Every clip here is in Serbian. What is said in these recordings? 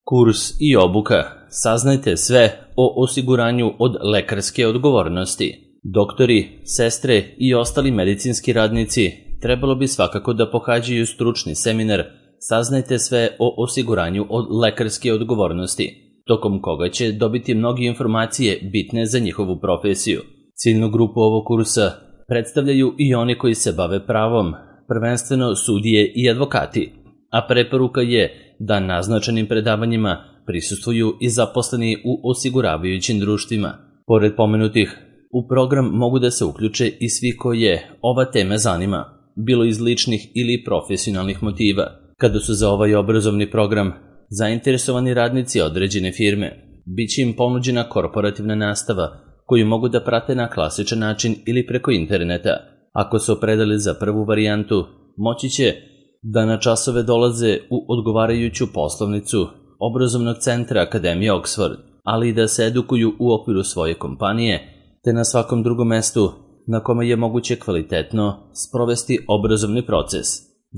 Kurs i obuka. Saznajte sve o osiguranju od lekarske odgovornosti. Doktori, sestre i ostali medicinski radnici trebalo bi svakako da pohađaju stručni seminar Saznajte sve o osiguranju od lekarske odgovornosti, tokom koga će dobiti mnoge informacije bitne za njihovu profesiju. Ciljnu grupu ovog kursa predstavljaju i oni koji se bave pravom, prvenstveno sudije i advokati, a preporuka je da naznačenim predavanjima prisustvuju i zaposleni u osiguravajućim društvima. Pored pomenutih, u program mogu da se uključe i svi koje ova tema zanima, bilo iz ličnih ili profesionalnih motiva. Kada su za ovaj obrazovni program zainteresovani radnici određene firme, bit će im ponuđena korporativna nastava koju mogu da prate na klasičan način ili preko interneta. Ako se opredeli za prvu varijantu, moći će da na časove dolaze u odgovarajuću poslovnicu obrazovnog centra Akademije Oxford, ali i da se edukuju u okviru svoje kompanije, te na svakom drugom mestu na kome je moguće kvalitetno sprovesti obrazovni proces.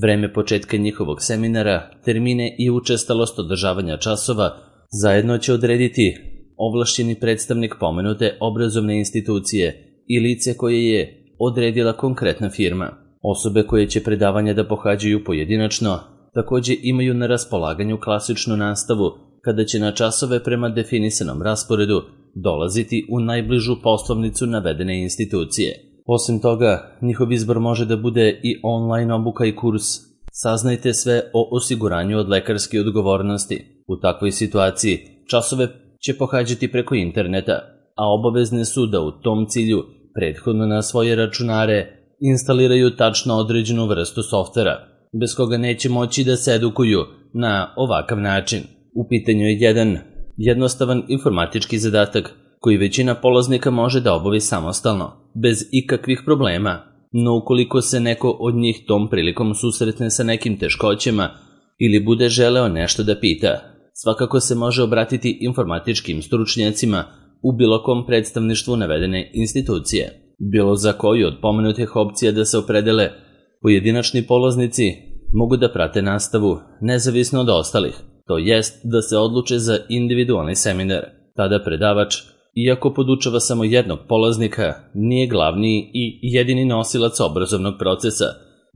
Vreme početka njihovog seminara, termine i učestalost održavanja časova zajedno će odrediti ovlašćeni predstavnik pomenute obrazovne institucije i lice koje je odredila konkretna firma. Osobe koje će predavanja da pohađaju pojedinačno takođe imaju na raspolaganju klasičnu nastavu kada će na časove prema definisanom rasporedu dolaziti u najbližu poslovnicu navedene institucije. Osim toga, njihov izbor može da bude i online obuka i kurs Saznajte sve o osiguranju od lekarske odgovornosti. U takvoj situaciji časove će pohađati preko interneta, a obavezne su da u tom cilju prethodno na svoje računare instaliraju tačno određenu vrstu softvera, bez koga neće moći da se edukuju na ovakav način. U pitanju je jedan jednostavan informatički zadatak koji većina polaznika može da obavi samostalno, bez ikakvih problema, no ukoliko se neko od njih tom prilikom susretne sa nekim teškoćama ili bude želeo nešto da pita, svakako se može obratiti informatičkim stručnjacima u bilo kom predstavništvu navedene institucije. Bilo za koju od pomenutih opcija da se opredele, pojedinačni polaznici mogu da prate nastavu nezavisno od ostalih, to jest da se odluče za individualni seminar. Tada predavač, iako podučava samo jednog polaznika, nije glavni i jedini nosilac obrazovnog procesa,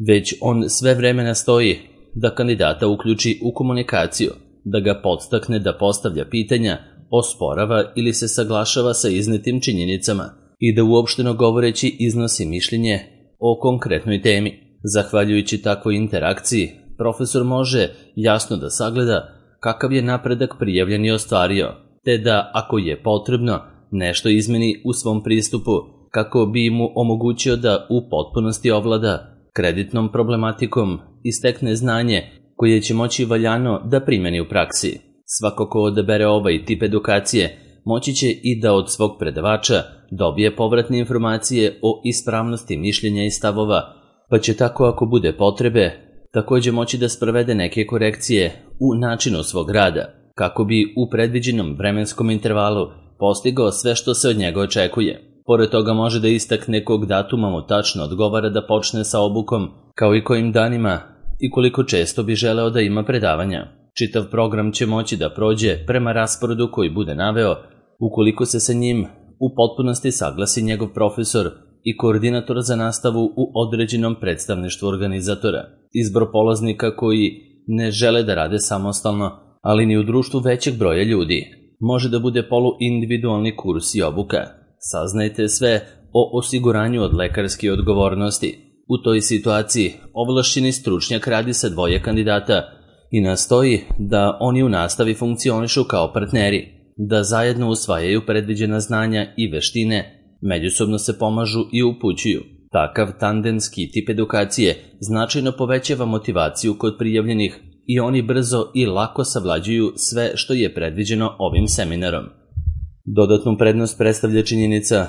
već on sve vreme nastoji da kandidata uključi u komunikaciju, da ga podstakne da postavlja pitanja, osporava ili se saglašava sa iznetim činjenicama i da uopšteno govoreći iznosi mišljenje o konkretnoj temi. Zahvaljujući takvoj interakciji, profesor može jasno da sagleda kakav je napredak prijavljen i ostvario, te da, ako je potrebno, nešto izmeni u svom pristupu kako bi mu omogućio da u potpunosti ovlada kreditnom problematikom i stekne znanje koje će moći valjano da primeni u praksi. Svako ko odabere ovaj tip edukacije moći će i da od svog predavača dobije povratne informacije o ispravnosti mišljenja i stavova, pa će tako, ako bude potrebe, takođe moći da sprovede neke korekcije u načinu svog rada, kako bi u predviđenom vremenskom intervalu postigao sve što se od njega očekuje. Pored toga može da istakne kog datuma mu tačno odgovara da počne sa obukom, kao i kojim danima i koliko često bi želeo da ima predavanja. Čitav program će moći da prođe prema rasporedu koji bude naveo, ukoliko se sa njim u potpunosti saglasi njegov profesor i koordinator za nastavu u određenom predstavništvu organizatora. Izbor polaznika koji ne žele da rade samostalno, ali ni u društvu većeg broja ljudi, može da bude poluindividualni kurs i obuka. Saznajte sve o osiguranju od lekarske odgovornosti. U toj situaciji ovlašćeni stručnjak radi sa dvoje kandidata i nastoji da oni u nastavi funkcionišu kao partneri, da zajedno usvajaju predviđena znanja i veštine, međusobno se pomažu i upućuju. Takav tandemski tip edukacije značajno povećava motivaciju kod prijavljenih i oni brzo i lako savlađuju sve što je predviđeno ovim seminarom. Dodatnu prednost predstavlja činjenica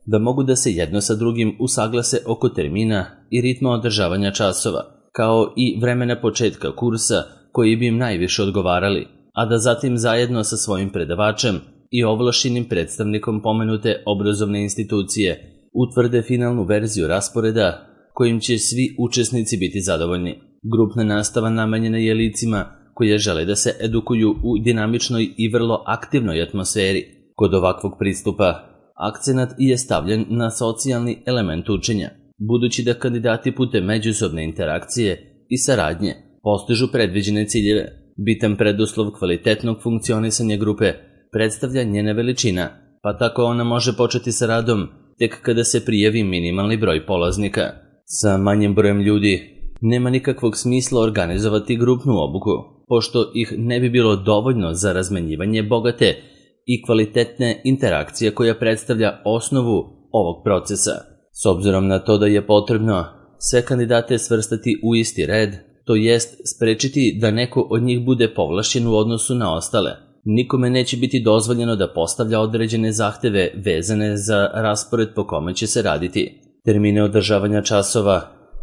da mogu da se jedno sa drugim usaglase oko termina i ritma održavanja časova, kao i vremena početka kursa koji bi im najviše odgovarali, a da zatim zajedno sa svojim predavačem i ovlašćenim predstavnikom pomenute obrazovne institucije utvrde finalnu verziju rasporeda kojim će svi učesnici biti zadovoljni. Grupna nastava namenjena je licima koje žele da se edukuju u dinamičnoj i vrlo aktivnoj atmosferi. Kod ovakvog pristupa akcenat je stavljen na socijalni element učenja, budući da kandidati putem međusobne interakcije i saradnje postižu predviđene ciljeve. Bitan preduslov kvalitetnog funkcionisanja grupe predstavlja njena veličina, pa tako ona može početi sa radom tek kada se prijavi minimalni broj polaznika. Sa manjim brojem ljudi nema nikakvog smisla organizovati grupnu obuku, pošto ih ne bi bilo dovoljno za razmenjivanje bogate i kvalitetne interakcije koja predstavlja osnovu ovog procesa. S obzirom na to da je potrebno sve kandidate svrstati u isti red, to jest sprečiti da neko od njih bude povlašćen u odnosu na ostale. Nikome neće biti dozvoljeno da postavlja određene zahteve vezane za raspored po kome će se raditi. Termine održavanja časova,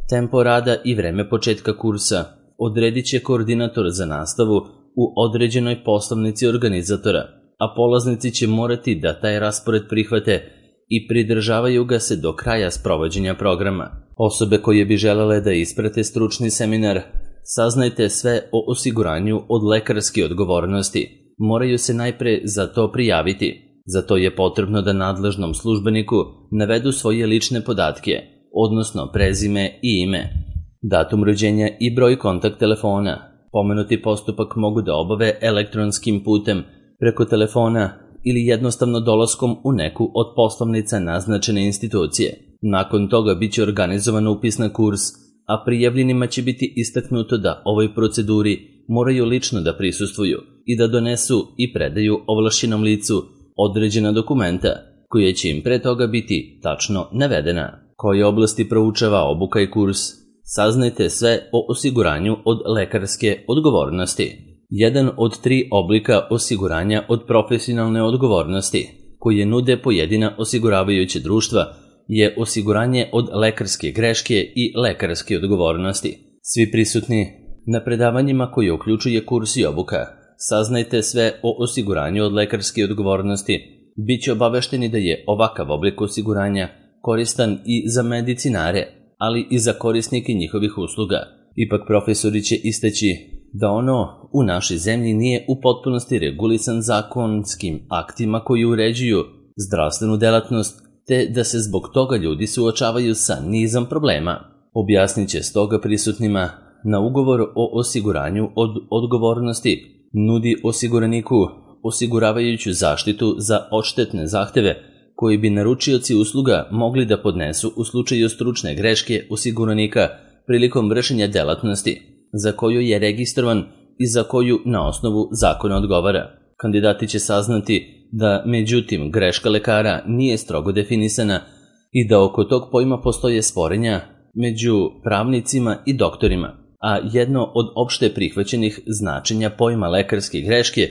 tempo rada i vreme početka kursa odredit će koordinator za nastavu u određenoj poslovnici organizatora, a polaznici će morati da taj raspored prihvate i pridržavaju ga se do kraja sprovođenja programa. Osobe koje bi želele da isprate stručni seminar, saznajte sve o osiguranju od lekarske odgovornosti. Moraju se najpre za to prijaviti. Za to je potrebno da nadležnom službeniku navedu svoje lične podatke, odnosno prezime i ime, datum rođenja i broj kontakt telefona. Pomenuti postupak mogu da obave elektronskim putem, preko telefona ili jednostavno dolaskom u neku od poslovnica naznačene institucije. Nakon toga biće organizovan upis na kurs, a prijavljenima će biti istaknuto da ovoj proceduri moraju lično da prisustvuju i da donesu i predaju ovlašćenom licu određena dokumenta, koje će im pre toga biti tačno navedena. Koje oblasti proučava obuka i kurs? Saznajte sve o osiguranju od lekarske odgovornosti. Jedan od 3 oblika osiguranja od profesionalne odgovornosti, koje nude pojedina osiguravajuća društva, je osiguranje od lekarske greške i lekarske odgovornosti. Svi prisutni na predavanjima koje uključuje kurs i obuka, saznajte sve o osiguranju od lekarske odgovornosti, bit će obavešteni da je ovakav oblik osiguranja koristan i za medicinare, ali i za korisnike njihovih usluga. Ipak profesori će istaći da ono u našoj zemlji nije u potpunosti regulisan zakonskim aktima koji uređuju zdravstvenu delatnost, te da se zbog toga ljudi suočavaju sa nizom problema. Objasnit će stoga prisutnima na ugovor o osiguranju od odgovornosti nudi osiguraniku osiguravajuću zaštitu za odštetne zahteve koji bi naručioci usluga mogli da podnesu u slučaju stručne greške osiguranika prilikom vršenja delatnosti za koju je registrovan i za koju na osnovu zakona odgovara. Kandidati će saznati da, međutim, greška lekara nije strogo definisana i da oko tog pojma postoje sporenja među pravnicima i doktorima, a jedno od opšte prihvaćenih značenja pojma lekarske greške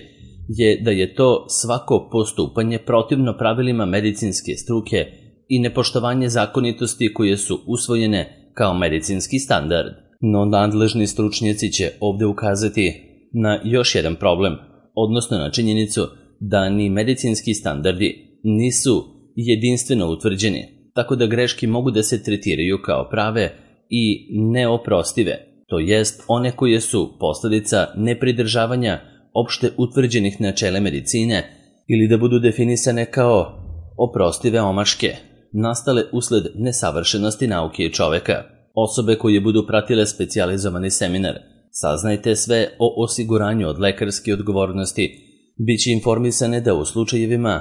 je da je to svako postupanje protivno pravilima medicinske struke i nepoštovanje zakonitosti koje su usvojene kao medicinski standard. No nadležni stručnjaci će ovde ukazati na još jedan problem, odnosno na činjenicu da ni medicinski standardi nisu jedinstveno utvrđeni, tako da greške mogu da se tretiraju kao prave i neoprostive, to jest one koje su posledica nepridržavanja opšte utvrđenih načela medicine ili da budu definisane kao oprostive omaške, nastale usled nesavršenosti nauke i čoveka. Osobe koje budu pratile specijalizovani seminar, saznajte sve o osiguranju od lekarske odgovornosti, bit će informisane da u slučajevima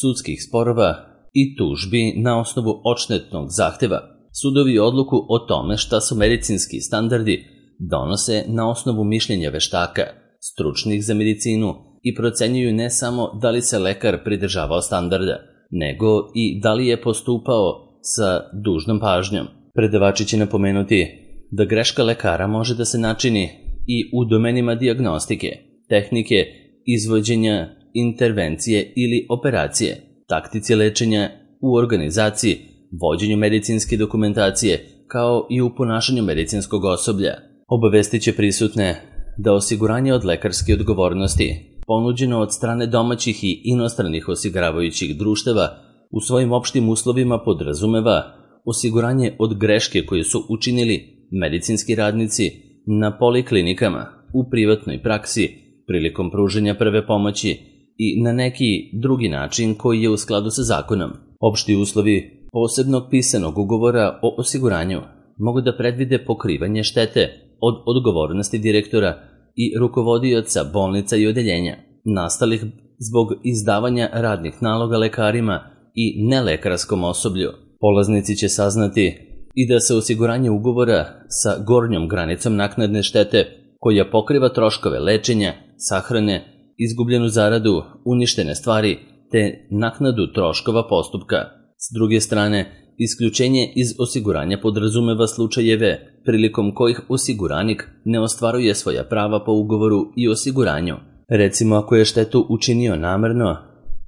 sudskih sporova i tužbi na osnovu odštetnog zahteva, sudovi odluku o tome šta su medicinski standardi donose na osnovu mišljenja veštaka, stručnih za medicinu i procenjuju ne samo da li se lekar pridržavao standarda, nego i da li je postupao sa dužnom pažnjom. Predavači će napomenuti da greška lekara može da se načini i u domenima dijagnostike, tehnike, izvođenja, intervencije ili operacije, taktici lečenja, u organizaciji, vođenju medicinske dokumentacije, kao i u ponašanju medicinskog osoblja. Obavestit će prisutne da osiguranje od lekarske odgovornosti, ponuđeno od strane domaćih i inostranih osiguravajućih društava, u svojim opštim uslovima podrazumeva osiguranje od greške koje su učinili medicinski radnici na poliklinikama, u privatnoj praksi, prilikom pružanja prve pomoći i na neki drugi način koji je u skladu sa zakonom. Opšti uslovi posebnog pisanog ugovora o osiguranju mogu da predvide pokrivanje štete od odgovornosti direktora i rukovodioca bolnica i odeljenja, nastalih zbog izdavanja radnih naloga lekarima i nelekarskom osoblju. Polaznici će saznati i da se osiguranje ugovora sa gornjom granicom naknadne štete, koja pokriva troškove lečenja, sahrane, izgubljenu zaradu, uništene stvari, te naknadu troškova postupka. S druge strane, isključenje iz osiguranja podrazumeva slučajeve prilikom kojih osiguranik ne ostvaruje svoja prava po ugovoru i osiguranju. Recimo ako je štetu učinio namerno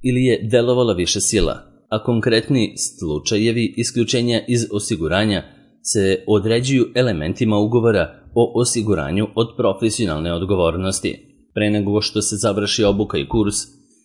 ili je delovala više sila, a konkretni slučajevi isključenja iz osiguranja se određuju elementima ugovora o osiguranju od profesionalne odgovornosti. Pre nego što se završi obuka i kurs,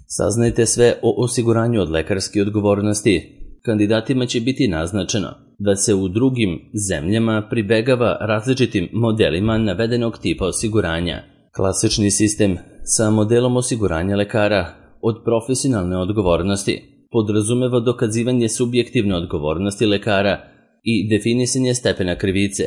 saznajte sve o osiguranju od lekarske odgovornosti. Kandidatima će biti naznačeno da se u drugim zemljama pribegava različitim modelima navedenog tipa osiguranja. Klasični sistem sa modelom osiguranja lekara od profesionalne odgovornosti podrazumeva dokazivanje subjektivne odgovornosti lekara i definisanje stepena krivice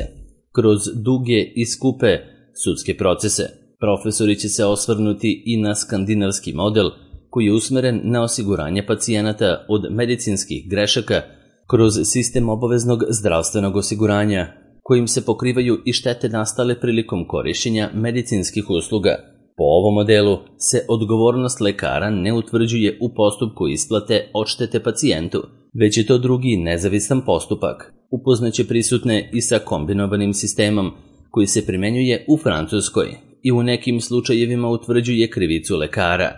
kroz duge i skupe sudske procese. Profesori će se osvrnuti i na skandinavski model koji je usmeren na osiguranje pacijenata od medicinskih grešaka kroz sistem obaveznog zdravstvenog osiguranja, kojim se pokrivaju i štete nastale prilikom korišćenja medicinskih usluga. Po ovom modelu se odgovornost lekara ne utvrđuje u postupku isplate odštete pacijentu, već je to drugi nezavisan postupak. Upoznaće prisutne i sa kombinovanim sistemom koji se primenjuje u Francuskoj i u nekim slučajevima utvrđuje krivicu lekara,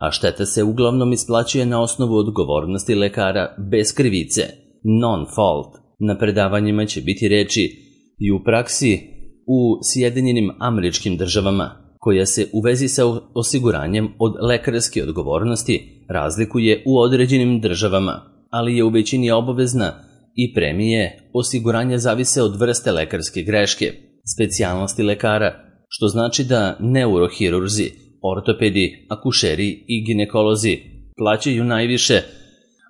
a šteta se uglavnom isplaćuje na osnovu odgovornosti lekara bez krivice, non-fault. Na predavanjima će biti reči i u praksi u Sjedinjenim Američkim Državama, koja se u vezi sa osiguranjem od lekarske odgovornosti razlikuje u određenim državama, ali je u većini obavezna i premije osiguranja zavise od vrste lekarske greške, specijalnosti lekara, što znači da neurohirurzi, ortopedi, akušeri i ginekolozi plaćaju najviše,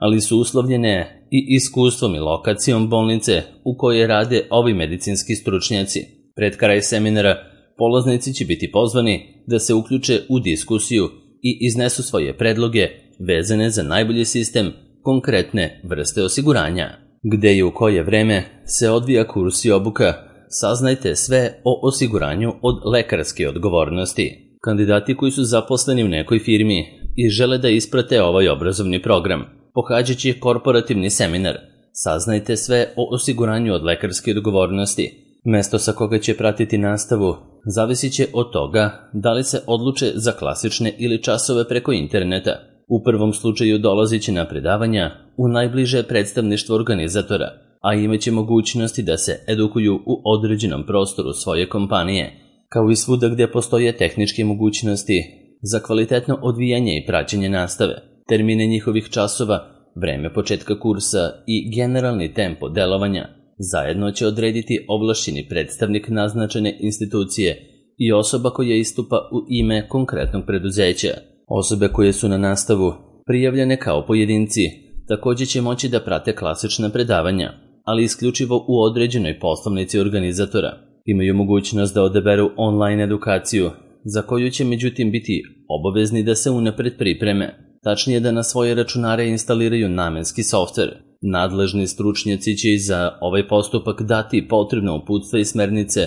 ali su uslovljene i iskustvom i lokacijom bolnice u kojoj rade ovi medicinski stručnjaci. Pred kraj seminara polaznici će biti pozvani da se uključe u diskusiju i iznesu svoje predloge vezane za najbolji sistem konkretne vrste osiguranja. Gde i u koje vreme se odvija kurs i obuka, saznajte sve o osiguranju od lekarske odgovornosti. Kandidati koji su zaposleni u nekoj firmi i žele da isprate ovaj obrazovni program, pohađat će korporativni seminar. Saznajte sve o osiguranju od lekarske odgovornosti. Mesto sa koga će pratiti nastavu zavisit će od toga da li se odluče za klasične ili časove preko interneta. U prvom slučaju dolazit će na predavanja u najbliže predstavništvo organizatora, a imaće mogućnosti da se edukuju u određenom prostoru svoje kompanije, kao i svuda gde postoje tehničke mogućnosti za kvalitetno odvijanje i praćenje nastave, termine njihovih časova, vreme početka kursa i generalni tempo delovanja. Zajedno će odrediti ovlašćeni predstavnik naznačene institucije i osoba koja istupa u ime konkretnog preduzeća. Osobe koje su na nastavu prijavljene kao pojedinci također će moći da prate klasična predavanja, ali isključivo u određenoj poslovnici organizatora. Imaju mogućnost da odaberu online edukaciju, za koju će međutim biti obavezni da se unapred pripreme, tačnije da na svoje računare instaliraju namenski softver. Nadležni stručnjaci će i za ovaj postupak dati potrebno uputstva i smernice,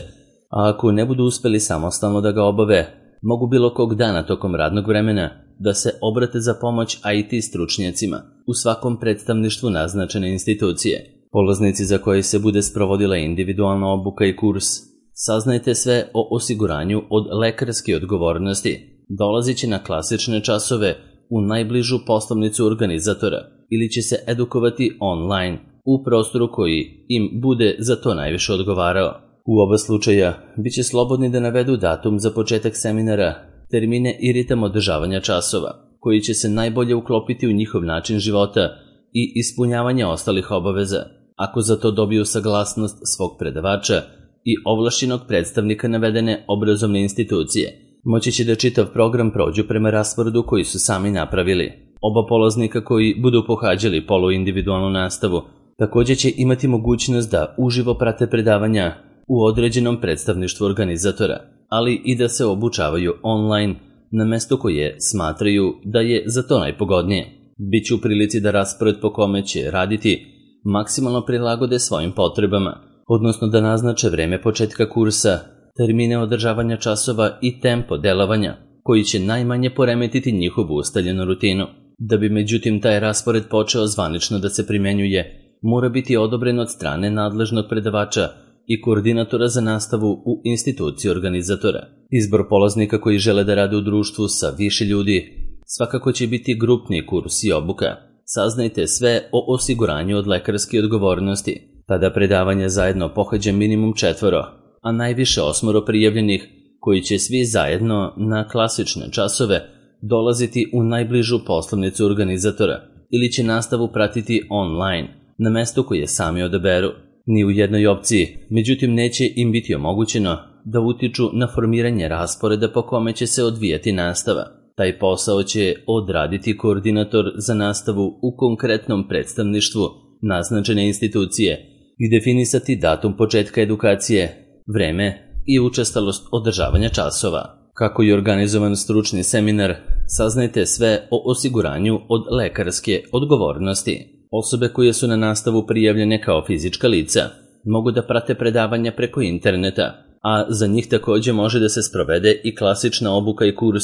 a ako ne budu uspeli samostalno da ga obave, mogu bilo kog dana tokom radnog vremena da se obrate za pomoć IT stručnjacima u svakom predstavništvu naznačene institucije. Polaznici za koje se bude sprovodila individualna obuka i kurs, saznajte sve o osiguranju od lekarske odgovornosti. Dolazit će na klasične časove u najbližu poslovnicu organizatora ili će se edukovati online u prostoru koji im bude za to najviše odgovarao. U oba slučaja bit će slobodni da navedu datum za početak seminara, termine i ritam održavanja časova, koji će se najbolje uklopiti u njihov način života i ispunjavanja ostalih obaveza. Ako za to dobiju saglasnost svog predavača i ovlašćenog predstavnika navedene obrazovne institucije moći će da čitav program prođu prema rasporedu koji su sami napravili. Oba polaznika koji budu pohađali poluindividualnu nastavu također će imati mogućnost da uživo prate predavanja u određenom predstavništvu organizatora, ali i da se obučavaju online na mesto koje smatraju da je za to najpogodnije. Biće u prilici da raspored po kome će raditi maksimalno prilagode svojim potrebama, odnosno da naznače vreme početka kursa, termine održavanja časova i tempo delovanja, koji će najmanje poremetiti njihovu ustaljenu rutinu. Da bi međutim taj raspored počeo zvanično da se primenjuje, mora biti odobren od strane nadležnog predavača i koordinatora za nastavu u instituciji organizatora. Izbor polaznika koji žele da rade u društvu sa više ljudi svakako će biti grupni kurs i obuka. Saznajte sve o osiguranju od lekarske odgovornosti. Tada predavanje zajedno pohađa minimum 4, a najviše 8 prijavljenih, koji će svi zajedno na klasične časove dolaziti u najbližu poslovnicu organizatora ili će nastavu pratiti online na mestu koje sami odaberu. Ni u jednoj opciji, međutim, neće im biti omogućeno da utiču na formiranje rasporeda po kome će se odvijati nastava. Taj posao će odraditi koordinator za nastavu u konkretnom predstavništvu naznačene institucije i definisati datum početka edukacije, vreme i učestalost održavanja časova. Kako je organizovan stručni seminar, saznajte sve o osiguranju od lekarske odgovornosti. Osobe koje su na nastavu prijavljene kao fizička lica mogu da prate predavanja preko interneta, a za njih također može da se sprovede i klasična obuka i kurs.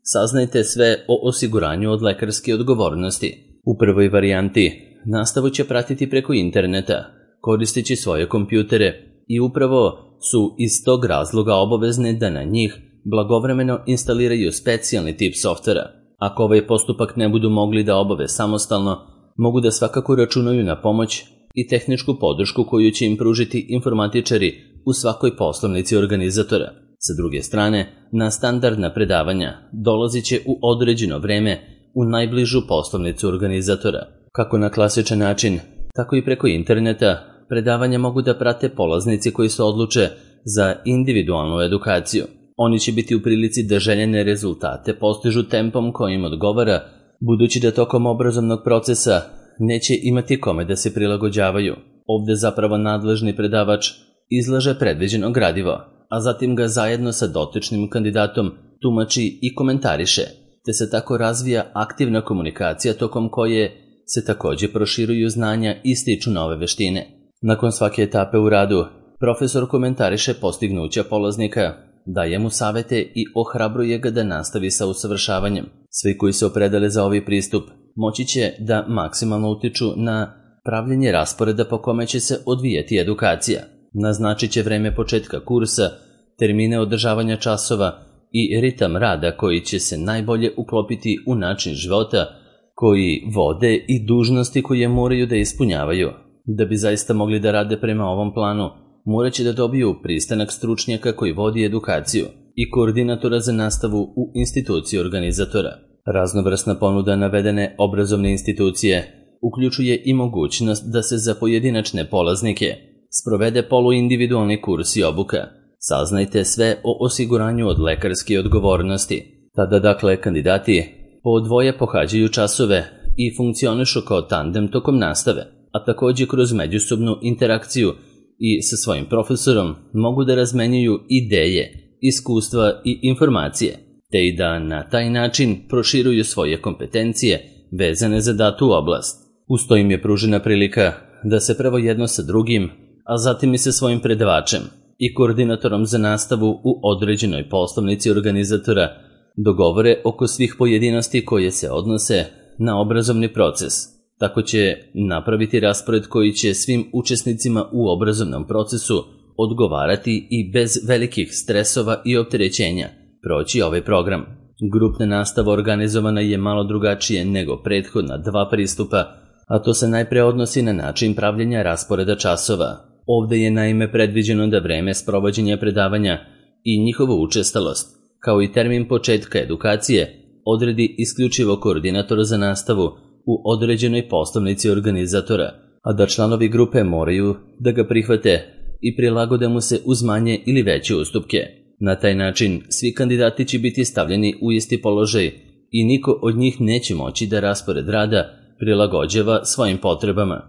Saznajte sve o osiguranju od lekarske odgovornosti. U prvoj varijanti nastavu će pratiti preko interneta, koristeći svoje kompjutere i upravo su iz tog razloga obavezne da na njih blagovremeno instaliraju specijalni tip softvera. Ako ovaj postupak ne budu mogli da obave samostalno, mogu da svakako računaju na pomoć i tehničku podršku koju će im pružiti informatičari u svakoj poslovnici organizatora. Sa druge strane, na standardna predavanja dolazit će u određeno vreme u najbližu poslovnicu organizatora. Kako na klasičan način, tako i preko interneta, predavanja mogu da prate polaznici koji se odluče za individualnu edukaciju. Oni će biti u prilici da željene rezultate postižu tempom kojim odgovara, budući da tokom obrazovnog procesa neće imati kome da se prilagođavaju. Ovde zapravo nadležni predavač izlaže predviđeno gradivo, a zatim ga zajedno sa dotičnim kandidatom tumači i komentariše, te se tako razvija aktivna komunikacija tokom koje se također proširuju znanja i stiču nove veštine. Nakon svake etape u radu, profesor komentariše postignuća polaznika, daje mu savete i ohrabruje ga da nastavi sa usavršavanjem. Svi koji se opredele za ovaj pristup moći će da maksimalno utiču na pravljenje rasporeda po kome će se odvijati edukacija. Naznačit će vreme početka kursa, termine održavanja časova i ritam rada koji će se najbolje uklopiti u način života koji vode i dužnosti koje moraju da ispunjavaju. Da bi zaista mogli da rade prema ovom planu, morat će da dobiju pristanak stručnjaka koji vodi edukaciju i koordinatora za nastavu u instituciji organizatora. Raznovrsna ponuda navedene obrazovne institucije uključuje i mogućnost da se za pojedinačne polaznike sprovede poluindividualni kurs i obuka. Saznajte sve o osiguranju od lekarske odgovornosti. Tada dakle kandidati po dvoje pohađaju časove i funkcionišu kao tandem tokom nastave, a također kroz međusobnu interakciju i sa svojim profesorom mogu da razmenjuju ideje, iskustva i informacije, te i da na taj način proširuju svoje kompetencije vezane za datu oblast. Uz to im je pružena prilika da se prvo jedno sa drugim, a zatim i sa svojim predavačem i koordinatorom za nastavu u određenoj poslovnici organizatora dogovore oko svih pojedinosti koje se odnose na obrazovni proces. Tako će napraviti raspored koji će svim učesnicima u obrazovnom procesu odgovarati i bez velikih stresova i opterećenja proći ovaj program. Grupna nastava organizovana je malo drugačije nego prethodna dva pristupa, a to se najpre odnosi na način pravljenja rasporeda časova. Ovde je naime predviđeno da vreme sprovođenja predavanja i njihova učestalost, kao i termin početka edukacije, odredi isključivo koordinator za nastavu u određenoj poslovnici organizatora, a da članovi grupe moraju da ga prihvate i prilagode mu se uz manje ili veće ustupke. Na taj način svi kandidati će biti stavljeni u isti položaj i niko od njih neće moći da raspored rada prilagođava svojim potrebama.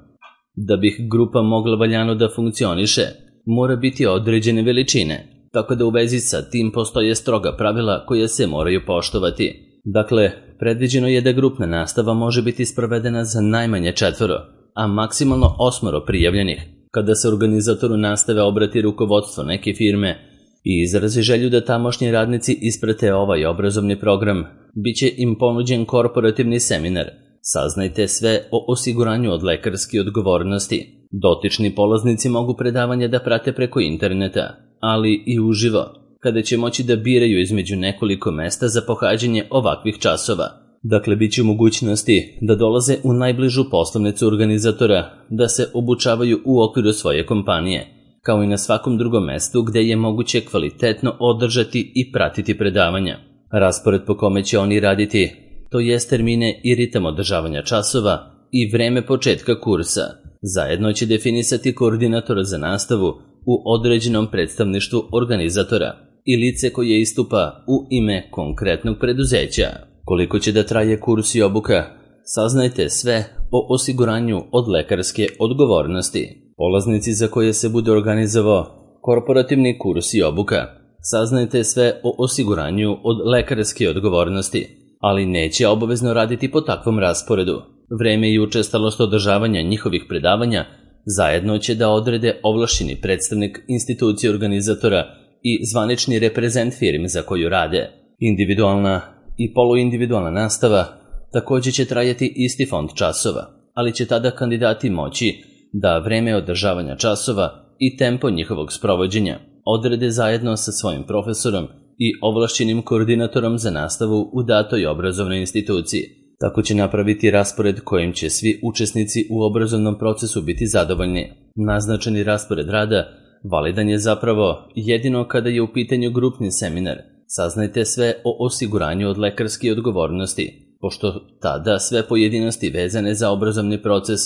Da bi grupa mogla valjano da funkcioniše, mora biti određene veličine, tako da u vezi sa tim postoje stroga pravila koja se moraju poštovati. Dakle, predviđeno je da grupna nastava može biti sprovedena za najmanje 4, a maksimalno 8 prijavljenih. Kada se organizatoru nastave obrati rukovodstvo neke firme i izrazi želju da tamošnji radnici isprate ovaj obrazovni program, bit će im ponuđen korporativni seminar. Saznajte sve o osiguranju od lekarske odgovornosti. Dotični polaznici mogu predavanje da prate preko interneta, ali i uživo, kada će moći da biraju između nekoliko mesta za pohađanje ovakvih časova. Dakle, bit će u mogućnosti da dolaze u najbližu poslovnicu organizatora, da se obučavaju u okviru svoje kompanije, kao i na svakom drugom mestu gde je moguće kvalitetno održati i pratiti predavanja. Raspored po kome će oni raditi, to jest termine i ritam održavanja časova i vreme početka kursa, zajedno će definisati koordinatora za nastavu u određenom predstavništvu organizatora i lice koje istupa u ime konkretnog preduzeća. Koliko će da traje kurs i obuka? Saznajte sve o osiguranju od lekarske odgovornosti. Polaznici za koje se bude organizovao korporativni kurs i obuka. Saznajte sve o osiguranju od lekarske odgovornosti, ali neće obavezno raditi po takvom rasporedu. Vreme i učestalost održavanja njihovih predavanja zajedno će da odrede ovlašćeni predstavnik institucije organizatora i zvanični reprezent firme za koju rade. Individualna i poluindividualna nastava također će trajati isti fond časova, ali će tada kandidati moći da vreme održavanja časova i tempo njihovog sprovođenja odrede zajedno sa svojim profesorom i ovlašćenim koordinatorom za nastavu u datoj obrazovnoj instituciji. Tako će napraviti raspored kojim će svi učesnici u obrazovnom procesu biti zadovoljni. Naznačeni raspored rada validan je zapravo jedino kada je u pitanju grupni seminar. Saznajte sve o osiguranju od lekarske odgovornosti, pošto tada sve pojedinosti vezane za obrazovni proces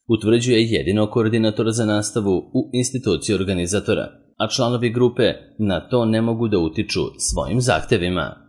utvrđuje jedino koordinator za nastavu u instituciji organizatora, a članovi grupe na to ne mogu da utiču svojim zahtevima.